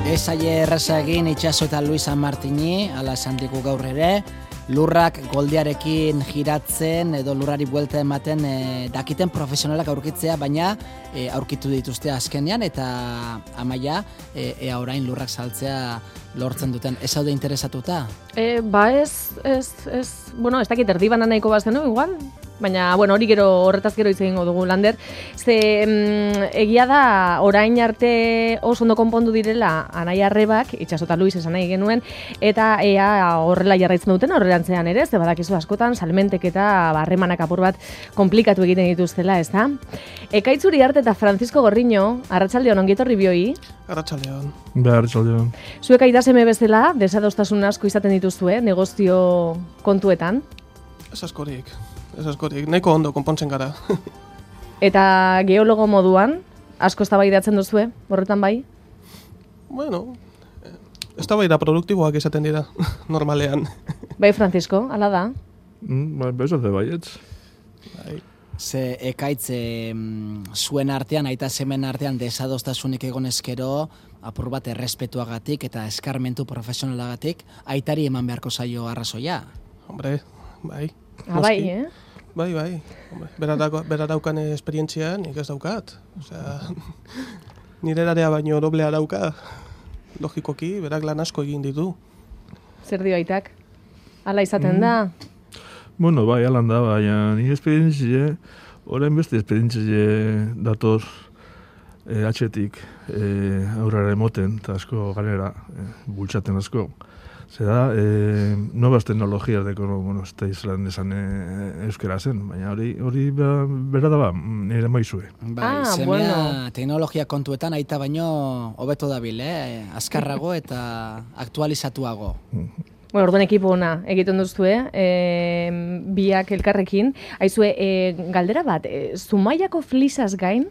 Ez aie erraza egin Itxaso eta Luis San Martini, ala esan digu gaur ere, lurrak goldiarekin giratzen edo lurrari buelta ematen dakiten profesionalak aurkitzea, baina aurkitu dituzte azkenean eta Amaia ea orain lurrak saltzea lortzen duten. Ez haude interesatuta? Bueno, ez dakit erdi banan nahiko bazenu, igual? Baina, bueno, hori gero horretaz gero hitz egingo dugu, Lander. Egia da, orain arte oso ondo konpondu direla Anaia Arrebak, Itxaso eta Luis esan nahi genuen, eta ea horrela jarraitzen duten horrelantzean ere, ze badakizu askotan, salmentek eta harremanak apur bat komplikatu egiten dituztela, ez da? Ekaitzuri Arte eta Francisco Gorriño, arratsaldeon ongi etorri bioi. Arratsaldeon. Arratsaldeon. Zuek aitaseme bezala, desadostasun asko izaten dituzue, negozio kontuetan? Ez askorik, nahiko ondo konpontzen gara. Eta geologo moduan, asko eztabaidatzen duzue, horretan bai? Bueno, eztabaida produktiboak izaten dira, normalean. Bai, Francisco, hala da? Bai, bezate baietz. Bai. Ze ekaitz zuen artean, aita semen artean desadostasunik egon eskero, apur bat errespetuagatik eta eskarmentu profesionalagatik, aitari eman beharko zaio arrazoia. Hombre, bai. Bai, Bai. Hombre, bera daukan esperientzia nik ez daukat. Osea, nire erarea baino doblea dauka. Logikoki, berak lan asko egin ditu. Zer dio aitak? Hala izaten da? Bueno, bai, alan da, baina nire esperientzia, orain beste esperientzia datoz atxetik aurrera emoten, eta asko ganera, bultzaten asko. Zeda, nuevas tecnologías de bueno, este islan esan euskera zen, baina hori bera da ba, nire maizue. Bai, semea bueno. Teknologia kontuetan aita baino hobeto dabil, azkarrago eta aktualizatuago. Bueno, orduan ekipo ona egiten duzue, biak elkarrekin. Aizue, galdera bat, Zumaiako flisaz gain,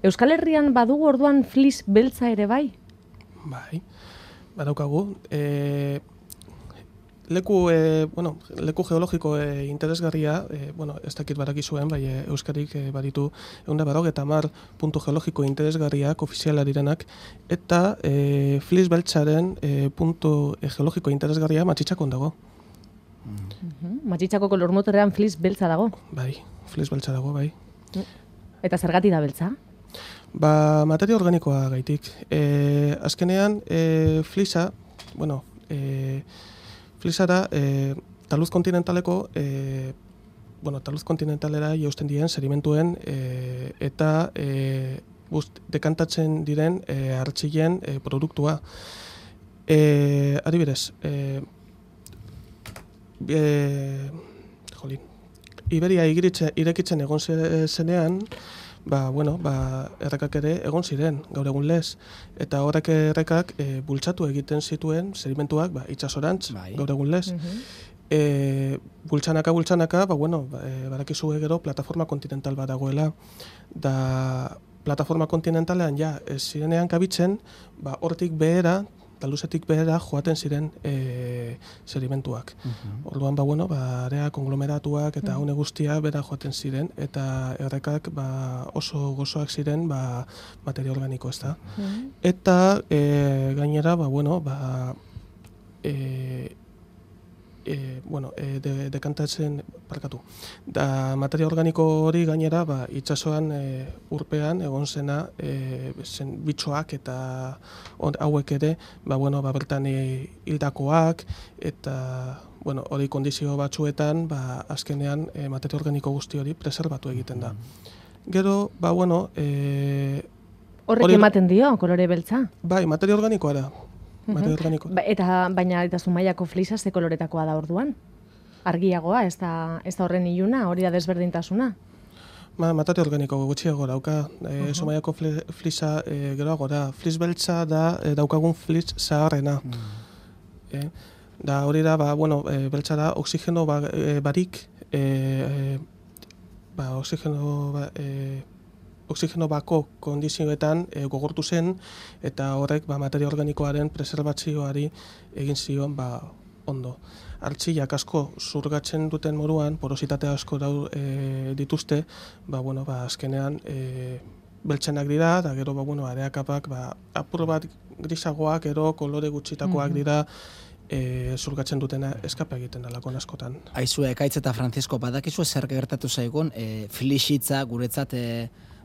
Euskal Herrian badugu orduan flis beltza ere bai? Bai. Badaukagu, leku geologiko interesgarria, ez dakit badakizuen, bai Euskarik baditu 150 puntu geologiko interesgarriak ofiziala direnak, eta flis beltzaren puntu geologiko interesgarria Matxitxakon dago. Matxitxakoko lurmuturrean flis beltza dago? Bai, flis beltza dago, bai. Eta zergatik da beltza? Ba, materia organikoa gaitik. Azkenean, flisa, flisara, taluz kontinentaleko, taluz kontinentalera jausten diren sedimentuen eta dekantatzen diren hartzilen produktua. Adibidez, Iberia irekitzen egon zenean, errekak ere egon ziren, gaur egun lez. Eta horrek errekak bultzatu egiten zituen sedimentuak itsasorantz, gaur egun lez. Bultzanaka, badakizue gero plataforma kontinental bat dagoela. Da plataforma kontinentalean ez zirenean kabitzen, hortik behera, taluzetik behera joaten ziren sedimentuak. Orduan, area konglomeratuak eta haune guztia bera joaten ziren, eta errekak oso gozoak ziren materia organiko, ez da. Eta gainera, dekantatzen, da materia organiko hori gainera itsasoan urpean egon zena bitxoak eta hauek ere bertan hildakoak eta hori kondizio batzuetan azkenean materia organiko guzti hori preserbatu egiten da. Gero, horrek ematen dio, kolore beltza? Bai, materia organikoa da. Baina Zumaiako flisa ze koloretakoa da orduan? Argiagoa, ez da horren iluna, hori da desberdintasuna? Materia organiko gutxiago dauka. Zumaiako flisa geroago da. Flis beltza da daukagun flis zaharrena. Da hori da, beltza da oxigeno barik, oxigeno bako kondizioetan gogortu zen, eta horrek materia organikoaren preserbatzioari egin zion ondo. Artxilak asko zurgatzen duten moduan, porositate asko dituzte, azkenean beltzenak dira, eta gero, areakapak, apur bat grisagoak, ero kolore gutxitakoak dira, zurgatzen dutena eskapa egiten dalako askotan. Aizue, Ekaitz eta Francisco, badakizu zer gertatu zaigun, Flixitza guretzat,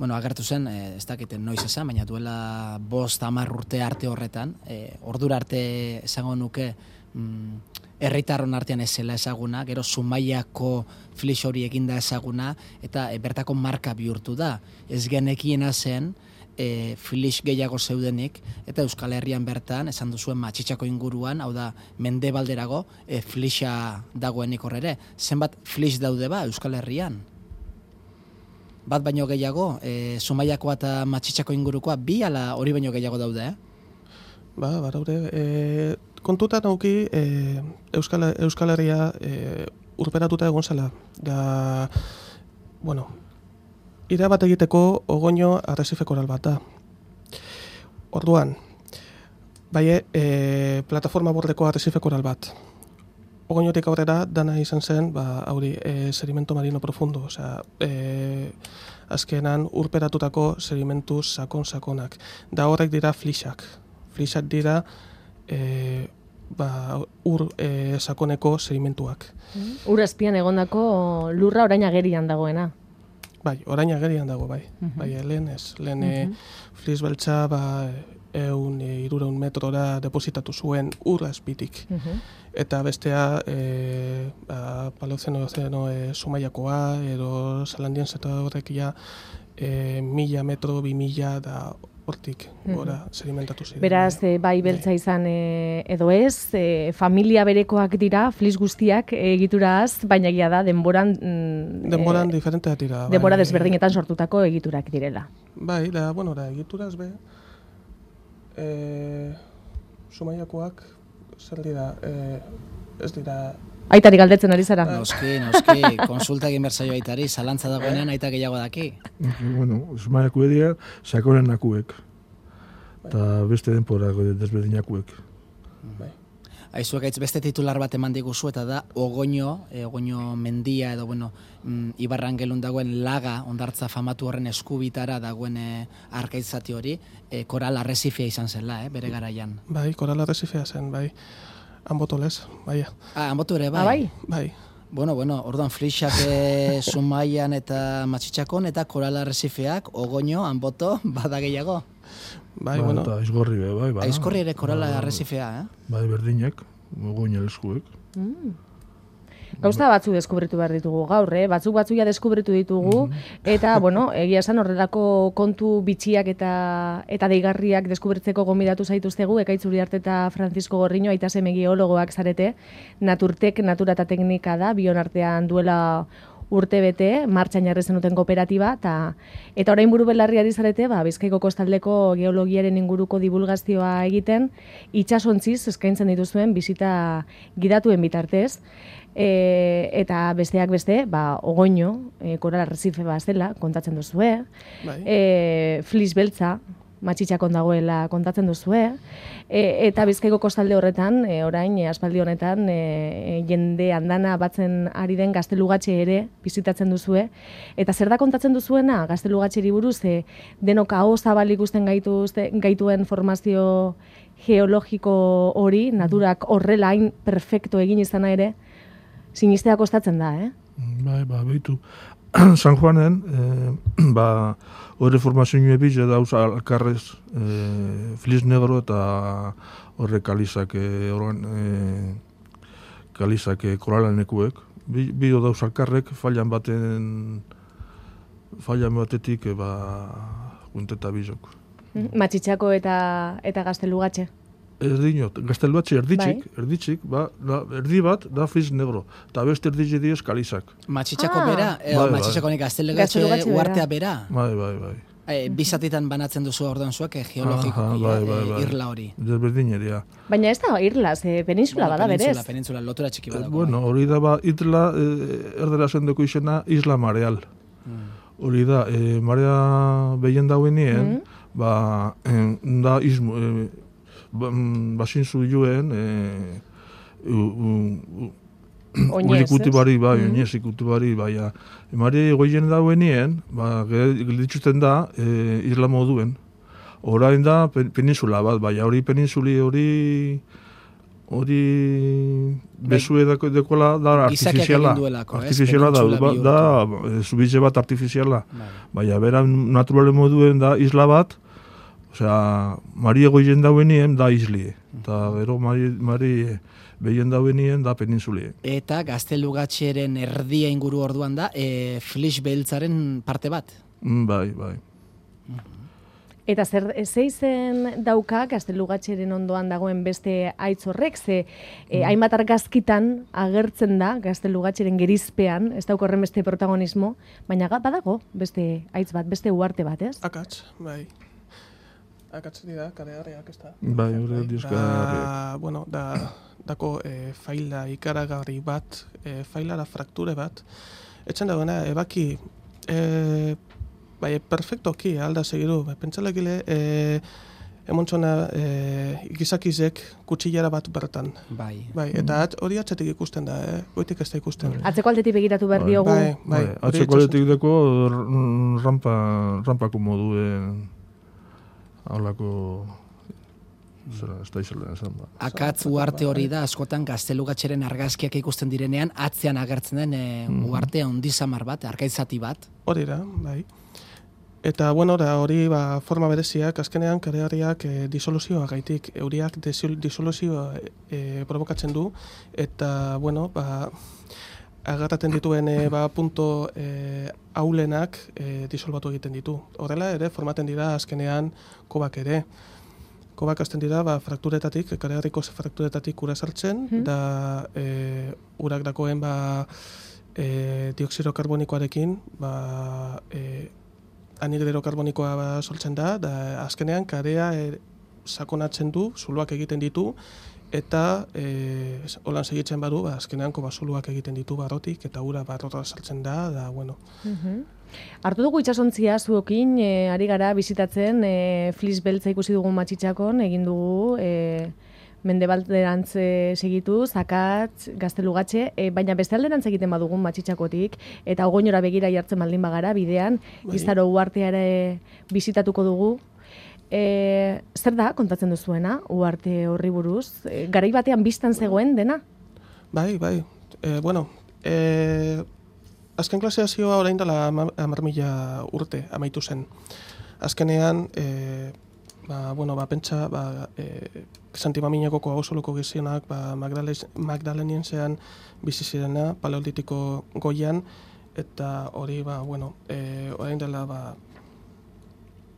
agertu zen, ez dakiten noiz esan, baina duela 5-10 urte arte horretan, ordura arte esango nuke, herritarron artean ezela ezaguna, gero Zumaiako Flix hori eginda ezaguna, eta bertako marka bihurtu da. Ez genekiena zen, Flix gehiago zeudenik, eta Euskal Herrian bertan, esan duzuen Matxitxako inguruan, hau da, Mendebalderago, Flixa dagoenik horrere. Zenbat Flix daude Euskal Herrian? Bat baino gehiago, Zumaiakoa eta Matxitxako ingurukoa, 2 ala hori baino gehiago daude, Baraude, kontutan auki Euskal Herria urperatuta egon zela. Da, ira bat egiteko Ogoño arresife koral bat da. Orduan, plataforma bordeko arresife koral bat. Ogoñotik aurrera dana izan zen, sedimento marino profundo, osea, azkenan urperatutako sedimentu sakon-sakonak. Da horrek dira flixak. Flixak dira ur sakoneko sedimentuak. Ur azpian egondako lurra orain agerian dagoena. Bai, orain agerian dago, bai. Lehen ez. Lehen Flix beltza 100-300 metrora depositatu zuen ur azpitik. Eta bestea Paleozeno Zumaiakoa, edo Zalandien zeta horrek 1000 metro, 2000 da hortik gora sedimentatu ziren. Beraz, bai beltza izan edo ez, familia berekoak dira, Flix guztiak egituraz, baina egia da denboran... denboran diferenteak dira. Denbora desberdinetan sortutako egiturak direla. Bai, egituraz Zumaiakoak zer dira, ez dira... Aitari galdetzen ari zara? Noski, konsulta egin berzaio aitari, zalantza dagoenean aita gehiago daki. Zumaiako edia, sakonen nakuek. Eta beste denporako desberdinakuek. Aizuek aitz beste titular bat eman diguzu, eta da Ogoño mendia edo, Ibarran gelun dagoen laga, ondartza famatu horren eskubitara dagoen arkaitzati hori, koral arresifia izan zela, bere garaian. Bai, koral arresifia zen, bai. Anbotolez, bai. Anbotu ere, bai? Bai. Orduan Flixak Zumaian eta Matxitxakon, eta koral arresifeak, Ogoño, Anboto, bada gehiago? Bai, Eta Aizgorri, bai. Aizgorri ere koral arresifea, Bai, berdinek, Ogoño eskuek. Gauza batzu deskubritu behar ditugu gaur, batzuia deskubritu ditugu, eta, egia esan horrelako kontu bitxiak eta deigarriak deskubritzeko gonbidatu zaituztegu, Ekaitz Uriarte eta Francisco Gorriño, aita seme geologoak zarete, Naturtek, natura eta teknika da, bion artean duela urte bete, martxan jarri zenuten kooperatiba, eta orain buru belarri ari zarete, Bizkaiko kostaldeko geologiaren inguruko divulgazioa egiten, itsasontziz eskaintzen dituzuen bizita gidatuen bitartez, eta besteak beste, Ogoño, koral arresife zela, kontatzen duzue, Flix beltza, Matxitxakon dagoela kontatzen duzue, eta Bizkaiko kostalde horretan, orain, aspaldi honetan, jende andana batzen ari den Gaztelugatxe ere bizitatzen duzue, eta zer da kontatzen duzuena Gaztelugatxeri buruz, denok aho zabal ikusten gaituen formazio geologiko hori, naturak horrela hain perfecto egin izana ere, sinistea kostatzen da, Bai, behitu. San Juanen, horre formazioa ebize dauz alkarrez Flix negro eta horre kalizak koralanekuek. Bio dauz alkarrek, fallan batetik gunteta bizok. Matxitxako eta Gaztelugatxe. Ez dinot, Gaztelugatxe erditxik, erdi bat da Flix negro, eta beste erditxe diez kalizak. Matxitxako bera, Matxitxakonik Gaztelugatxe uartea bera. Bai. Bizatitan banatzen duzu orduan zuek geologiko irla hori. Desberdineria. Baina ez da irla, peninsula bada berez. Penintzula, lotura txiki badako. Hori da irla, erdera zendeko izena Isla Mareal. Hori da, marea behien dauenien, da izmo, basin zuen Oinez, ikutu bari, bai, Mm. oinez ikutu bari, bai, emari goien dauenien, gelditzuten da, isla moduen. Orain da peninsula bat, bai, hori peninsuli hori besue dekola da Gizakiak artifiziala. egin duelako, ez? Artifiziala Penintsula da zubize bat artifiziala. Bai. Baina, bera naturale moduen da isla bat, osea, mari egoien dauenien da islie. Eta gero mari behien dauenien da peninsulie. Eta Gaztelugatxeren erdia inguru orduan da, Flix beltzaren parte bat. Bai. Eta zeizen dauka Gaztelugatxeren ondoan dagoen beste aitz horrek, ze hainbat argazkitan agertzen da Gaztelugatxeren gerizpean, ez dauka horren beste protagonismo, baina badago beste aitz bat, beste uarte bat, ez? Akatz, bai. Akatz dira, karegarriak ez da. Bai, hori dizka. Bueno, dako faila ikaragarri bat, failara frakture bat, etxen dagoena, ebaki, bai, perfectoki alda segiru. Pentsalekile, emontzona gizakizek kutsillara bat bertan. Bai. Bai, eta hori atzetik ikusten da, goitik ez da ikusten. Atzeko aldetik begiratu behar diogu. Bai. Atzeko aldetik deko rampako moduen haulako ez da izan esan ba. Akatz uarte hori da, askotan Gaztelugatxeren argazkiak ikusten direnean, atzean agertzen den uarte handizamar bat, arkaitzati bat. Hori da, bai. Eta, bueno, hori forma bereziak, azkenean karegarriak disoluzioa gaitik, euriak disoluzioa provokatzen du, eta, bueno, agarraten dituen punto aulenak disolbatu egiten ditu. Horrela ere, formaten dira azkenean kobak ere. Kobak azten dira, frakturetatik, karegarriko frakturetatik ura sartzen, da urak dakoen dioksido karbonikoarekin, anhidro karbonikoa sortzen da azkenean karea sakonatzen du, zuloak egiten ditu, eta holan segitzen badu, azkenean zuluak egiten ditu barrotik, eta ura barrota sartzen da, bueno. Hartu dugu itsasontzia zuokin, ari gara bizitatzen, Flix beltza ikusi dugu Matxitxakon, egin dugu, mendebalderantz segitu, Akatz, Gaztelugatxe, baina beste alderantz egiten badugun Matxitxakotik, eta Ogoinora begira jartzen baldin bagara, bidean, Izaro uartea ere bizitatuko dugu. Zer da, kontatzen duzuena, uarte horri buruz? Garai batean biztan zegoen dena? Bai. Bueno, azken klaseazioa orain dela 10.000 urte amaitu zen. Azkenean, pentsa, Santi Maminakoko hausoluko gizionak, Magdaleniensean bizi zirena, paleolitiko goian, eta hori, orain dela,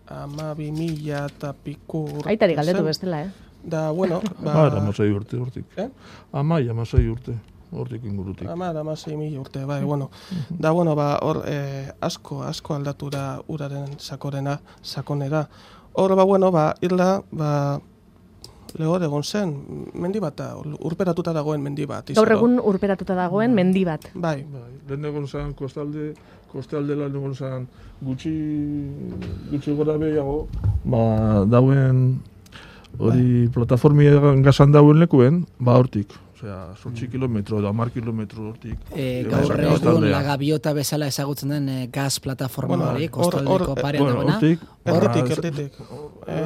12.000 eta piku urte. Aitari galdetu bestela, Da, bueno, Amasei urte, hortik. Amasei urte, hortik ingurutik. 16.000 urte, bai, bueno. Da, bueno, hor asko aldatu da uraren sakonera. Hor, irla, lehor egon zen, mendi bat, urperatuta dagoen mendi bat. Gaur egun urperatuta dagoen mendi bat. Bai. Lehen egon zen, kostaldela egon zen, gutxi gora behiago, dauen hori plataformia gazan dauen lekuen, hortik. Osea, 8 kilometro edo 10 kilometro hortik. Gaur egun La Gaviota bezala ezagutzen den gaz plataforma hori, kostaldeko parean dagoena. Hortik.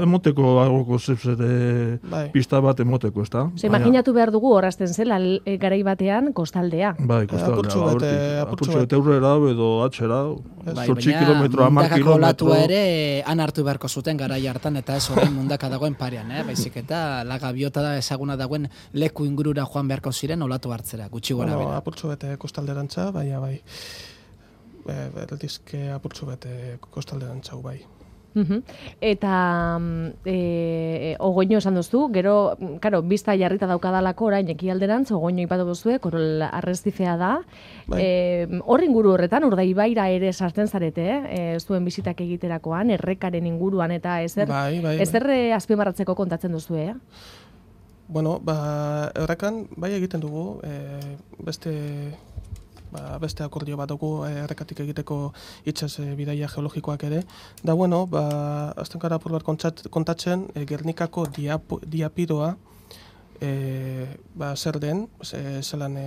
Emoteko agoko zepzere pista bat emoteko, ez da? Imaginatu behar dugu horrazten zela garai batean kostaldea. Bai, kostaldea, apurtxo bete aurrera edo atxera, 8 kilometro, 10 mundakako kilometro. olatua ere han hartu beharko zuten garai hartan, eta ez horrein mundaka dagoen parean, baizik eta La Gaviota da ezaguna dagoen leku ingurura joan beharko ziren olatu hartzera, gutxi gora bera. Apurtxo bete kostalderantza, bai. Berdizke apurtxo bete kostalderantza, bai. Eta Ogoino esan duzu, gero, karo, bizta jarrita daukadalako orain ekialderantz, Ogoino ipatu duzue, Korol arreztifea da. Horri inguru horretan, Urdaibaira ere sartzen zarete, zuen bizitak egiterakoan, errekaren inguruan eta ezer azpimarratzeko kontatzen duzue, Bueno, errekan, bai egiten dugu, beste akordio bat dugu errekatik egiteko itsas bidaia geologikoak ere. Da, bueno, azten gara apur bat kontatzen, Gernikako diapidoa zer den, zelan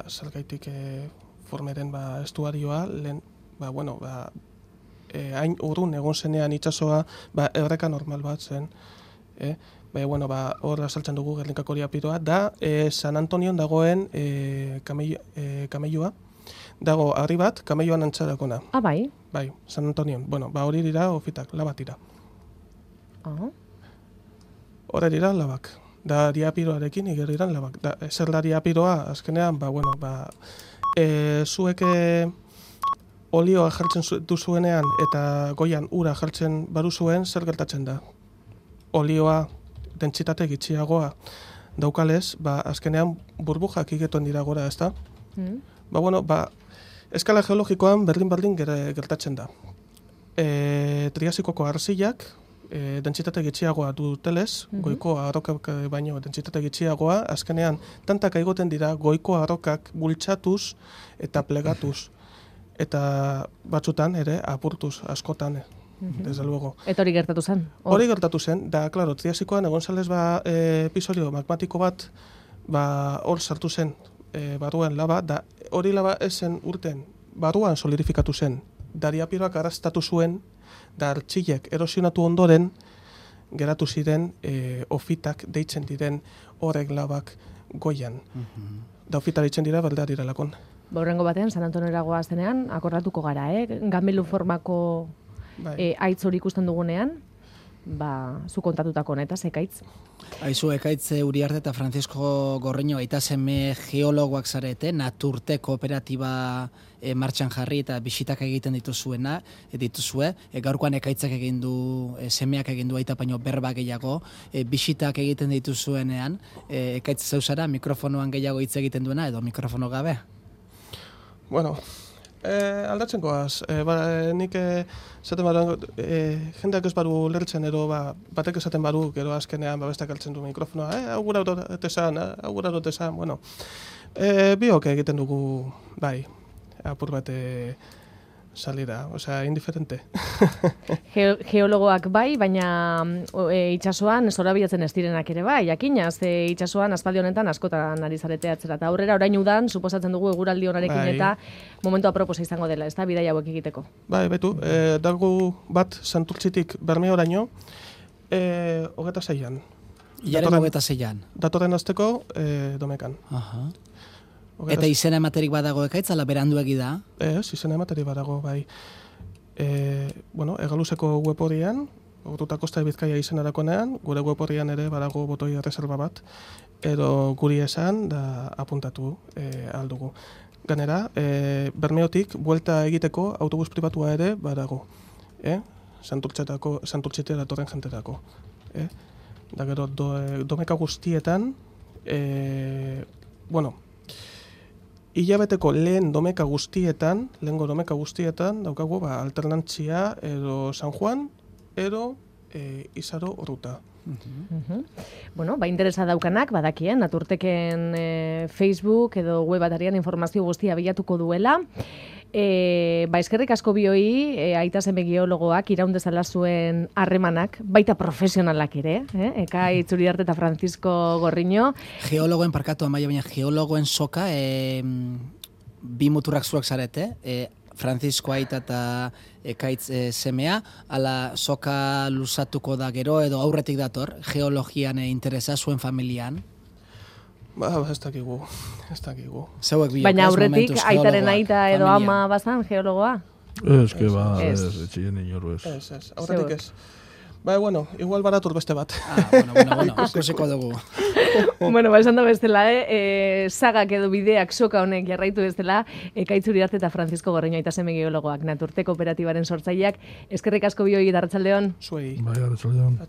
zergaitik formeren estuarioa, lehen, hain urrun egon zenean itsasoa erreka normal bat zen. Hor azaltzen dugu Gernikako diapiroa, da San Antonion dagoen kameioa, dago harri bat, kameioan antzarakona. Ah, bai? Bai, San Antonion. Hori dira ofitak, labak dira. Hori dira labak. Da diapiroarekin igerriran labak. Zer da diapiroa, azkenean, zuek olioa jartzen duzuenean eta goian ura jartzen baruzuen, zer gertatzen da? Olioa dentsitate gitxiagoa daukalez, azkenean burbujak igetuen dira gora, ezta? Eskala geologikoan berdin gertatzen da. Triasikoko arsilak dentsitate gitxiagoa dutelez, goiko arrokak baino dentsitate gitxiagoa, azkenean tantaka igoten dira goiko arrokak bultzatuz eta plegatuz. Eta batzutan ere apurtuz askotan, desde luego. Eta hori gertatu zen? Hori gertatu zen, da, klaro, triasikoan egon zalez episodio magmatiko bat hor sartu zen barruan laba, da hori laba esen urten barruan solidifikatu zen, da diapiroak arrastatu zuen, da artxilek erosionatu ondoren geratu ziren ofitak deitzen diren horrek labak goian. Da ofita deitzen dira berdea direlakon. Horrengo batean, San Antonioera goazenean, akordatuko gara, ganbelu formako aitz hori ikusten dugunean, zu kontatutako honetaz, ekaitz. Aizu, ekaitz Uriarte eta Francisco Gorriño, aita seme geologoak zarete, Naturte kooperatiba martxan jarri eta bisitak egiten dituzue, gaurkoan ekaitzak egin du, semeak egin du aita baino berba gehiago, bisitak egiten dituzuenean, ekaitz zeuzara, mikrofonoan gehiago hitz egiten duena, edo mikrofono gabe? Aldatzen goaz. Nik esaten baru, jendeak ez baru lertzen edo batek esaten baru, gero azkenean bestak altzen du mikrofonoa, augura dut esan, biok egiten dugu, apur bat salida, indiferente. Geologoak bai, baina itsasoan zorabiatzen ez direnak ere bai, jakina, ze itsasoan aspaldi honetan askotan ari zarete atzera. Eta aurrera orain udan, suposatzen dugu eguraldi honarekin eta momentu aproposa izango dela, ez da, bidai hauek egiteko. Betu, dago bat Santurtzitik Bermeoraino, 26an. Ilaren 26an. Datorren azteko Domekan. Eta izena ematerik badago ekaitz, ala beranduegi da? Ez, izena ematerik badago, bai. Egaluzeko web horian, Orduta Kosta Bizkaia izenarakonean, gure web horian ere badago botoi erreserba bat, edo guri esan da apuntatu aldugu. Ganera, Bermeotik buelta egiteko autobus pribatua ere badago. Santurtzitea datorren jenterako. Da gero, Domeka guztietan, hilabeteko lehengo domeka guztietan daukagu alternantzia edo San Juan edo Izaro Orruta. Interesa daukanak, badakien, Naturteken Facebook edo web atarian informazio guztia bilatuko duela. Eskerrik asko bioi, aita seme geologoak iraundezala zuen harremanak, baita profesionalak ere, Ekaitz Uriarte eta Francisco Gorriño. Geologoen parkatu amaia, baina geologoen soka, bi muturrak zuak zarete, Francisco aita eta ekaitz semea, ala soka luzatuko da gero, edo aurretik dator, geologian interesa zuen familian? Ez dakigu. Baina aurretik aitaren aita edo ama bazan geologoa? Ez, etxien inoru ez. Ez, aurretik ez. Igual baratur beste bat. Ikusiko dugu. Esan da bestela, sagak edo bideak soka honek jarraitu bestela, Ekaitz Uriarte eta Francisco Gorriño aita seme geologoak, Naturte kooperatibaren sortzaileak. Eskerrik asko bioi eta arratsaldeon. Zuei. Bai, arratsaldeon.